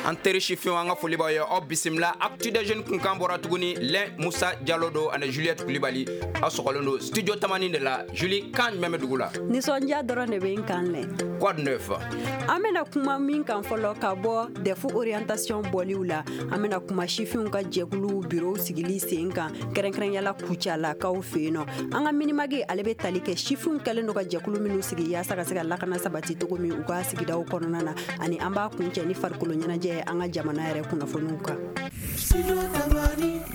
An teri sifinw, an ka foli b'aw ye. Aw bisimila Actu des jeunes kunkan bɔra tuguni. Lɛn Musa Jalo don ani Juliette Kulibali. Aw sɔgɔlen don studio Tamani de la. Julie, kan jumɛn bɛ dugu la? Nisɔndiya dɔrɔn de bɛ n kan lɛ. Quoi de neuf? An bɛna kuma min kan fɔlɔ, ka bɔ DEF orientation bɔliw la, an bɛna kuma sifinw ka jɛkuluw bureau sigili sen kan, kɛrɛnkɛrɛnyala Kucalakaw fɛ yen nɔ. An ka Mini-Mag, ale bɛ tali kɛ sifinw kɛlen don ka jɛkulu minnu sigi yaasa ka se ka lakana sabati cogo min u ka sigidaw kɔnɔna na. Ani an b'a kuncɛ ni farikolo ɲɛnajɛ ye, an ka jamana yɛrɛ kunnafoniw kan.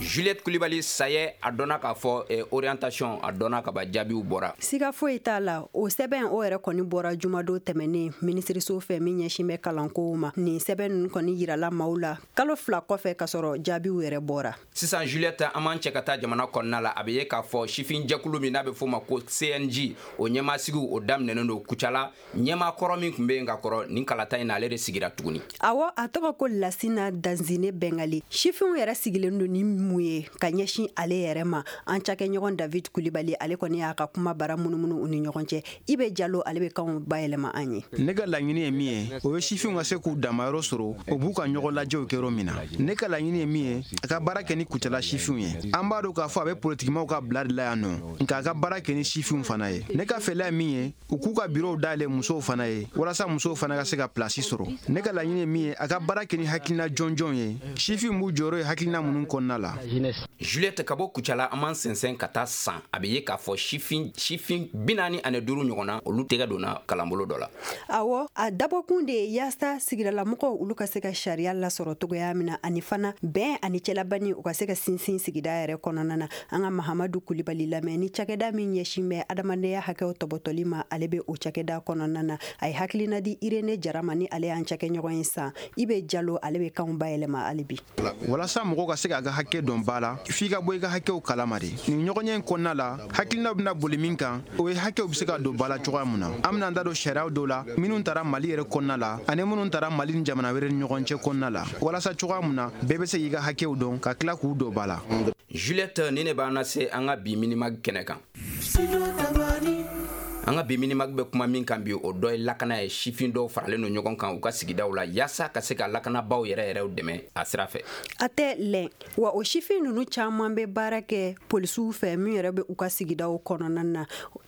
Juliette Kulibali, sayɛ a dɔnna k'a fɔ orientation a dɔnna ka ban, jaabiw bɔra. Siga foyi t'a la, o sɛbɛn o yɛrɛ kɔni bɔra jumadon tɛmɛnen minisiriso fɛ min ɲɛsin bɛ kalankow ma. Nin sɛbɛn ninnu kɔni yirala maaw la kalo 2 kɔfɛ ka sɔrɔ jaabiw yɛrɛ bɔra. Sisan Juliette, an b'an cɛ ka taa jamana kɔnɔna la. A bɛ ye k'a fɔ sifin jɛkulu min n'a bɛ f'o ma ko CNJ, o ɲɛmaasigiw o daminɛnen don Kucala. Ɲɛmaa kɔrɔ min tun bɛ yen ka kɔrɔ, nin kalata in na, ale de sigira tuguni. Awɔ, a tɔgɔ ko Lasina Danzine Bɛngali. Sifinw yɛrɛ sigilen don ni mun ye ka ɲɛsin ale yɛrɛ ma? An cakɛɲɔgɔn David Kulibali, ale kɔni y'a ka kuma bara munumunu u ni ɲɔgɔn cɛ. I bɛ Jalo, ale bɛ kanw bayɛlɛma an ye. Ne ka laɲini ye min ye, o ye sifinw ka se k'u damayɔrɔ sɔrɔ, o b'u ka ɲɔgɔn lajɛw kɛ yɔrɔ min na. Ne ka laɲini ye min ye, a ka baara kɛ ni Kucala sifinw ye. An b'a dɔn k'a fɔ a bɛ politikimaw ka bila de la yan nɔ, nka a ka baara kɛ ni sifinw fana ye. Ne ka fɛla ye min ye, u k'u ka birow dayɛlɛ musow fana ye, walasa musow fana ka se ka pilasi sɔrɔ. Ne ka laɲini ye min ye, a ka baara kɛ ni hakilina jɔnjɔn ye, sifinw b'u jɔyɔrɔ ye hakilina minnu kɔnɔna la. Juliette, ka bɔ Kucala, an b'an sɛnsɛn ka taa San. A bɛ ye k'a fɔ sifin 45 ɲɔgɔn na, olu tɛgɛ donna kalanbolo dɔ la. Awɔ, a dabɔkun de ye yaasa sigidalamɔgɔw olu ka se ka sariya lasɔrɔ cogoya min na, ani fana bɛn ani cɛlabani u ka se ka sinsin sigida yɛrɛ kɔnɔna na. An ka Mahamadu Kulibali lamɛn ni cakɛda min ɲɛsin bɛ adamadenya hakɛw tɔbɔtɔli ma, ale bɛ o cakɛda kɔnɔna na. A ye hakilina di Irene Jara ma, ni ale y'an cakɛɲɔgɔn ye San. I bɛ Jalo, ale bɛ kanw bayɛlɛma hali bi. Walasa mɔgɔw ka se k'a ka hakɛ dɔn ba la, f'i ka bɔ i ka hakɛw kalama de. Nin ɲɔgɔnye in kɔnɔna la, hakilinaw bɛna boli min kan, o ye hakɛw bɛ se ka don ba la cogoya mun na. An bɛna an da don sariyaw dɔw la minnu tara Mali yɛrɛ kɔnɔna la ani minnu tara Mali ni jamana wɛrɛ ni ɲɔgɔn cɛ kɔnɔna la, walasa cogoya mun na bɛɛ bɛ se k'i ka hakɛw dɔn ka tila k'u don ba la. Juliette, ni ne b'an lase an ka bi Mini-Mag kɛnɛ kan. An ka bi Mini-Mag bɛ kuma min kan bi, o dɔ ye lakana ye. Sifin dɔw faralen don ɲɔgɔn kan u ka sigidaw la yaasa ka se ka lakanabaw yɛrɛ yɛrɛw dɛmɛ a sira fɛ. A tɛ lɛn wa, o sifin ninnu caman bɛ baara kɛ polisiw fɛ min yɛrɛ bɛ u ka sigidaw kɔnɔna na.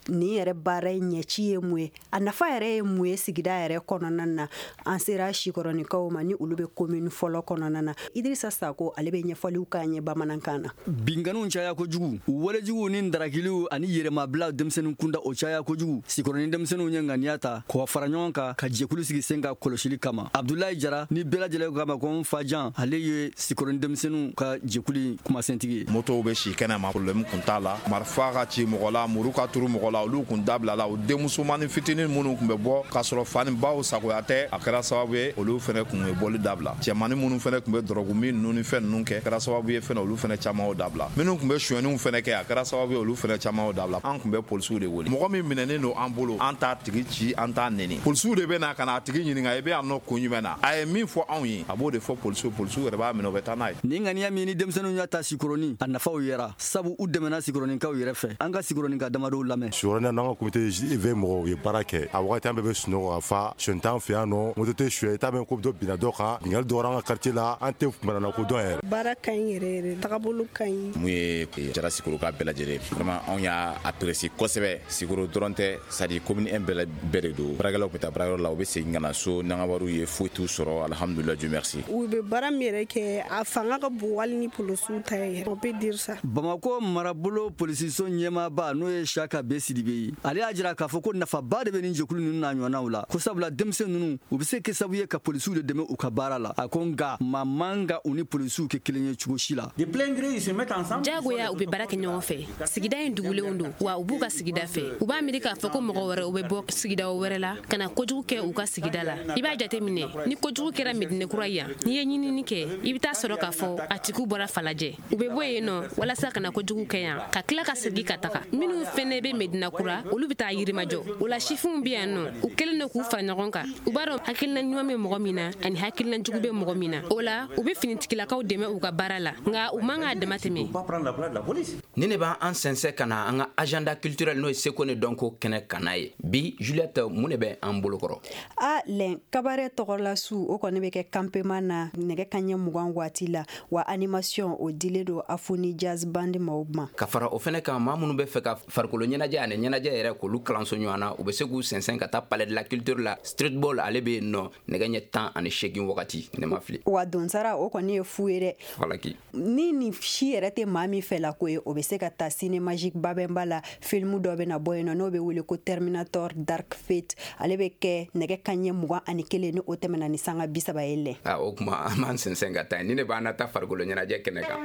Nin yɛrɛ baara in ɲɛci ye mun ye? A nafa yɛrɛ ye mun ye sigida yɛrɛ kɔnɔna na? An sera Sikɔrɔnikaw ma, ni olu bɛ commune fɔlɔ kɔnɔna na. Idirisa Sako, ale bɛ ɲɛfɔliw k'an ye bamanankan na. Binganiw caya kojugu, walejuguw ni darakiliw ani yɛrɛmabila denmisɛnnin kunda, o caya kojugu. Sikɔrɔni denmisɛnninw ye ŋaniya ta k'o fara ɲɔgɔn kan ka jɛkulu sigi sen ka kɔlɔsili kama. Abdulayi Jara, ni bɛɛ lajɛlen k'a ma ko n fajan, ale ye Sikɔrɔni denmisɛnninw ka jɛkulu kumasentigi ye. Motow bɛ si kɛnɛ ma, problème kun t'a la. Marifa ka ci mɔgɔ la, muru ka turu mɔgɔ la, olu kun dabilala. O denmusomanin fitinin minnu kun bɛ bɔ k'a sɔrɔ fa ni baw sagoya tɛ, a kɛra sababu ye olu fɛnɛ kun ye bɔli dabila. Cɛmanin minnu fɛnɛ kun bɛ dɔrɔgu min ninnu ni fɛn ninnu kɛ, kɛra sababu ye fɛnɛ olu fɛnɛ caman y'o dabila. Minnu kun bɛ sonyɛniw fɛnɛ kɛ, a kɛra sababu ye olu fɛnɛ caman y'o dabila. An kun bɛ polisiw de wele. Mɔgɔ min minɛnen don an bolo, an t'a tigi ci, an t'a neni. Polisiw de bɛ na ka na a tigi ɲininka: i bɛ yan nɔ kun jumɛn na? A ye min fɔ anw ye, a b'o de fɔ polisiw. Polisiw yɛrɛ b'a minɛ, u bɛ taa n'a ye. Nin ŋaniya min ni denmisɛnninw y'a ta Sikɔrɔni, a nafaw yera, sabu u dɛmɛna Sikɔrɔnikaw yɛrɛ fɛ. An ka Sikɔrɔnika damadɔw lamɛn. Sikɔrɔni, n'an ka comité V mɔgɔw ye baara kɛ, a wagati an bɛɛ bɛ sunɔgɔ ka fa. Sonyɛ t'an fɛ yan nɔ, moto tɛ suɲɛ, i t'a mɛn ko dɔ binna dɔ kan. Binkanni dɔgɔyara an ka quartier la, an tɛ manamana ko dɔn yɛrɛ. Baara ka ɲi yɛrɛ yɛrɛ, tagabolo ka ɲi. Mun ye jara Sikoro ka bɛɛ lajɛlen, vraiment anw y'a apprécier kosɛbɛ. Sikoro dɔrɔn tɛ, c'est à dire commune 1 bɛɛ bɛɛ de don. Baarakɛlaw bɛ taa baarayɔrɔ la, u bɛ segin ka na so n'an ka wariw ye, foyi t'u sɔrɔ. Alhamdulillah, Dieu merci. U bɛ baara min yɛrɛ kɛ, a fanga ka bon hali ni polisiw ta ye, on peut dire ça. Bamako marabolo polisiso ɲɛmaaba, n'o ye Saka B Sidibe ye, ale y'a jira k'a fɔ ko nafaba de bɛ nin jɛkulu ninnu n'a ɲɔgɔnnaw la, ko sabula denmisɛn ninnu, u bɛ se kɛ sababu ye ka polisiw de dɛmɛ u ka baara la. A ko nka maa man ka u ni polisiw kɛ kelen ye cogo si la. Jagoya u bɛ baara kɛ ɲɔgɔn fɛ. Sigida in dugulenw don wa, u b'u ka sigida fɛ. U b'a miiri k'a fɔ ko mɔgɔ wɛrɛ u bɛ bɔ sigida wɛrɛ la ka na kojugu kɛ u ka sigida la. I b'a jate minɛ, ni kojugu kɛra Medinekura yan, n'i ye ɲinini kɛ, i bɛ taa sɔrɔ k'a fɔ a tigiw bɔra Falajɛ. U bɛ bɔ yen nɔ walasa ka na kojugu kɛ yan, ka tila ka segin ka taga. Minnu fɛnɛ bɛ Medina Kura, olu bɛ taa Yirimajɔ. O la, sifinw bɛ yan nɔ, u kɛlen don k'u fara ɲɔgɔn kan. U b'a dɔn hakilina ɲuman bɛ mɔgɔ min na ani hakilina jugu bɛ mɔgɔ min na. O la, u bɛ finitigilakaw dɛmɛ u ka baara la, nka u man k'a dama tɛmɛ. Ni ne b'an sɛnsɛn ka na an ka agenda culturel, n'o ye seko ni dɔnko. kɛnɛ kana ye. Bi Juliette, mun de bɛ an bolokɔrɔ? A lɛn cabaret tɔgɔla su, o kɔni bɛ kɛ campement na nɛgɛ kaɲɛ 20 waati la, wa animation o dilen don Afuni Jazz Band maaw ma. Ka fara o fɛnɛ kan, maa minnu bɛ fɛ ka farikolo ɲɛnajɛ ani ɲɛnajɛ yɛrɛ k'olu kalanso ɲɔgɔn na, u bɛ se k'u sɛnsɛn ka taa Palais de la Culture la. Streetball, ale bɛ yen nɔ nɛgɛ ɲɛ 18 wagati, ne ma fili. Wa donsara, o kɔni ye fu ye dɛ. Falaki. Ni nin si yɛrɛ tɛ maa min fɛ la ko ye, o bɛ se ka taa Ciné Magique Babɛnba la. Film dɔ bɛ na bɔ yen nɔ, n'o bɛ wele ko Terminator Dark Fate. Ale bɛ kɛ nɛgɛ kaɲɛ 21, ni o tɛmɛna ni sanga 30 ye lɛ. A o kuma, an b'an sɛnsɛn ka taa yen. Ni ne b'an na taa farikolo ɲɛnajɛ kɛnɛ kan,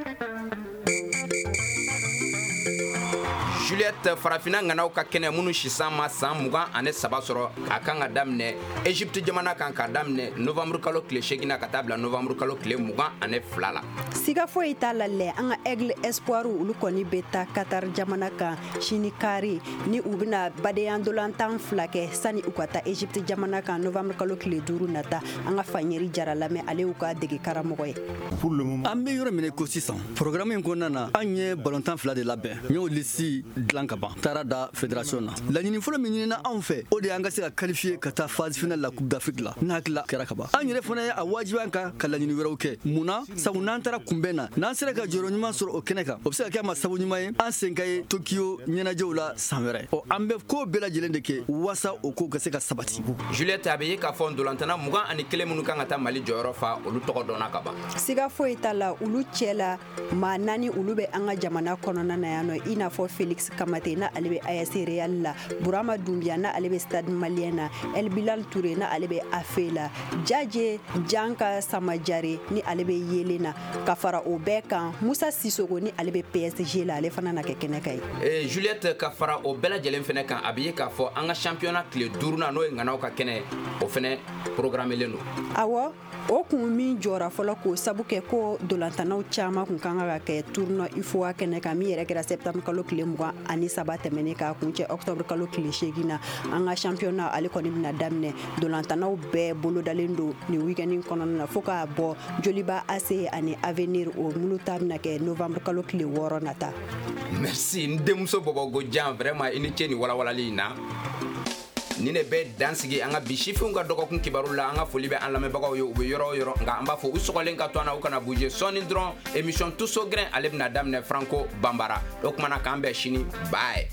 Juliette, farafinna ŋanaw ka kɛnɛ, minnu sisan ma san 23 sɔrɔ, a kan ka daminɛ Egypte jamana kan, ka daminɛ novembre kalo tile 8 na ka taa bila novembre kalo tile 22 la. Siga foyi t'a la lɛ, an ka Aigle Espoir, olu kɔni bɛ taa Qatar jamana kan sini kari, ni u bɛna badenya ndolantan fila kɛ sani u ka taa Egypte jamana kan novembre kalo tile 5 nata. An ka Faɲeri Jara lamɛn, ale y'u ka dege karamɔgɔ ye. An bɛ yɔrɔ min ko sisan, programme in kɔnɔna na, an ye balontan fila de labɛn. N y'o liste dilan ka ban, taara da fédération na. Laɲini fɔlɔ min ɲinina anw fɛ, o de y'an ka se ka qualifier ka taa phase finale la Coupe d'Afrique la. N hakili la kɛra ka ban. An yɛrɛ fana ye a wajibi an kan ka laɲini wɛrɛw kɛ. Mun na? Sabu n'an taara kunbɛn na, n'an sera ka jɔyɔrɔ ɲuman sɔrɔ o kɛnɛ kan, o bɛ se ka kɛ a ma sabu ɲuman ye an sen ka ye Tokyo ɲɛnajɛw la san wɛrɛ. Ɔ, an bɛ ko bɛɛ lajɛlen de kɛ walasa o ko ka se ka sabati. Juliette, a bɛ ye k'a fɔ ntolantanna 21 minnu kan ka taa Mali jɔyɔrɔ fa, olu tɔgɔ dɔnna ka ban. Siga foyi t'a la, olu cɛ la maa naani, olu bɛ an ka jamana kɔnɔna na yan nɔ, i n'a fɔ Felix Kamate, na ale bɛ AS Real la, Burama Dunbiya, na ale bɛ Stade Malien na, El Bilal Touré, na ale bɛ AFE la, Jaje Janka Samajare, ni ale bɛ Yelen na. Ka fara o bɛɛ kan, Musa Sisoko, ni ale bɛ PSG la, ale fana na kɛ kɛnɛ kan ye. Juliette, ka fara o bɛɛ lajɛlen fɛnɛ kan, a bɛ ye k'a fɔ an ka championnat tile duurunan, n'o ye ŋanaw ka kɛnɛ, o fɛnɛ programmelen don. Awɔ, o kun min jɔra fɔlɔ k'o sabu kɛ ko dolantanaw caman kun kan ka kɛ tournoi UFOA kɛnɛ kan, min yɛrɛ kɛra septembre kalo tile 23 tɛmɛnen k'a kuncɛ octobre kalo tile 8 na. An ka championnat, ale kɔni bɛna daminɛ. Dolantanaw bɛɛ bolodalen don nin week-end kɔnɔna na, fo k'a bɔ Joliba AC ani Avenir, o minnu ta bɛna kɛ novembre kalo tile 6 nata. Merci, n denmuso Bɔbɔgo Jan, vraiment i ni ce nin walawalali in na. Ni ne bɛ dan sigi an ka bi sifinw ka dɔgɔkun kibaru la. An ka foli bɛ an lamɛnbagaw ye, u bɛ yɔrɔ o yɔrɔ, nka an b'a fɔ u sɔgɔlen ka to an na, u kana bouger. Sɔɔni dɔrɔn, émission Tous au grain, ale bɛna daminɛ Franco Banbara. O kumana, k'an bɛn sini, bye.